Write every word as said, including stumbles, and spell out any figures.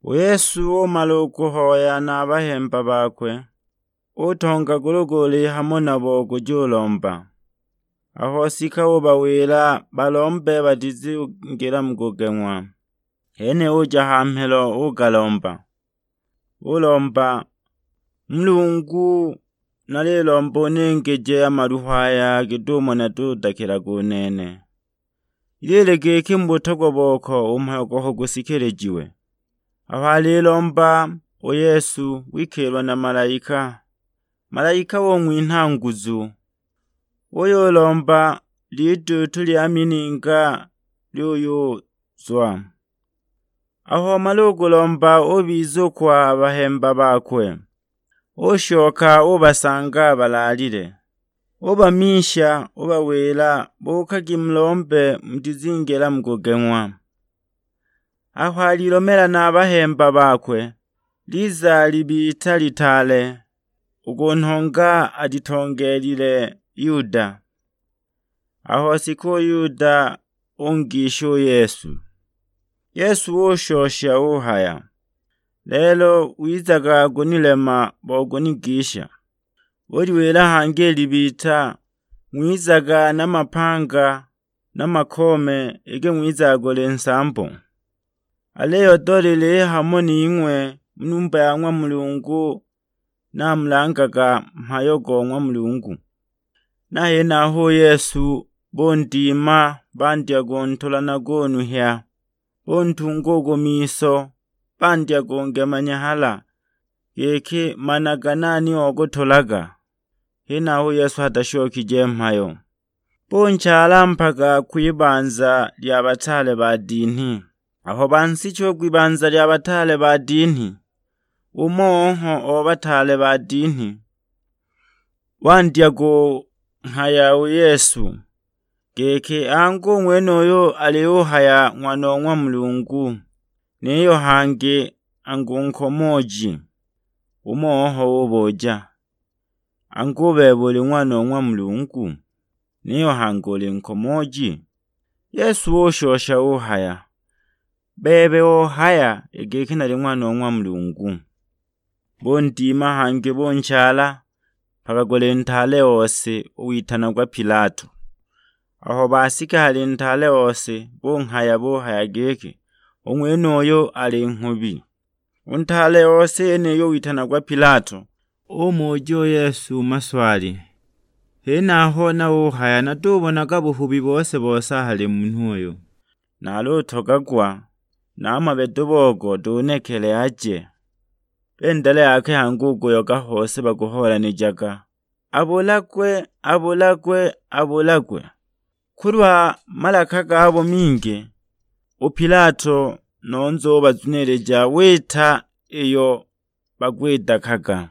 U Yesu umala u kuhoya na a bahemba bakwe, utonga gulu-gulu hamo nabo kuja ulomba. Aho sika ubawila balombe batizingila mu kugeng'wa. Hene uja ha mhelo ugalomba, ulomba, "Mulungu, nalilomba uningeje a maluha aya git'umo natudakilaga u nene. Ilile giki mu butogwa boko u mhayo goko gusikilijiwe." Aho alilomba, u Yesu wikiilwa na malaika. Malaika ung'winha nguzu, uyulomba liduutu lya mininga lyuyuzwa. Aho wamala u kulomba ubiza u kwa bahemba bakwe, ushoka ubasanga balaalile. Ubamisha, ubawila, "Buukagi mulombe mutizingila mu kugeng'wa." Aho alilomela na a bahemba bakwe, liza libita litaale, u ku nhonga alitongeelile Yuda. Aho sika u Yuda ungisha u Yesu. Yesu ushosha uhaya, "Lelo wizaga kunilema bo kunigisha." Uliwila hangi i libita, "Ng'wizaga na mapanga na makoome, iki ng'wizaga kuli nsambo." Aliyo dolile hamo ning'we mu numba ya ng'wa Mulungu, namulangaga mhayo go ng'wa Mulungu. Na henaho u Yesu bundima, bandya kuntula na kunuhya, buntunga u ku miso, bandya kungema nyahala, giki, "Managa nani ogutulaga?" Henaho u Yesu atashokije mhayo. Bunchaala mpaka kwibanza lya bataale ba dinhi. Aho bansicha u kwibanza lya bataale ba dinhi, umo oho o bataale ba dinhi wandya kunghaya u Yesu, giki, "Angu u ng'wenuyu aliyuhaya Ng'wana o ng'wa Mulungu, niyo hangi angu nkomooji?" Umo oho ubuja, "Angu u bebe uli Ng'wana o ng'wa Mulungu, niyo hangi uli nkomooji?" Yesu ushosha uhaya, "Bebe ohaya i giki nali Ng'wana o ng'wa Mulungu." Bundima hangi bunchaala mpaka kuli ntaale ose, u witanagwa Pilato. Aho basika hali ntaale ose, bunghaya buhaya giki, "U ng'wenuyu ali nghubi." U ntaale ose yeniyo witanagwa Pilato, umuja u Yesu maswali. Henaho na uhaya, "Natubonaga buhubi bose-bose a hali munhu uyu. Nalutogagwa, na a mabedo bogo dunekele aje." Bendele yakwe hangi u kuyoga hose bakuhoolanijaga, "Abulagwe, abulagwe, abulagwe!" Kulwa malaka gabo mingi, u Pilato nonzo ubazunilija wita iyo bagwidakaga.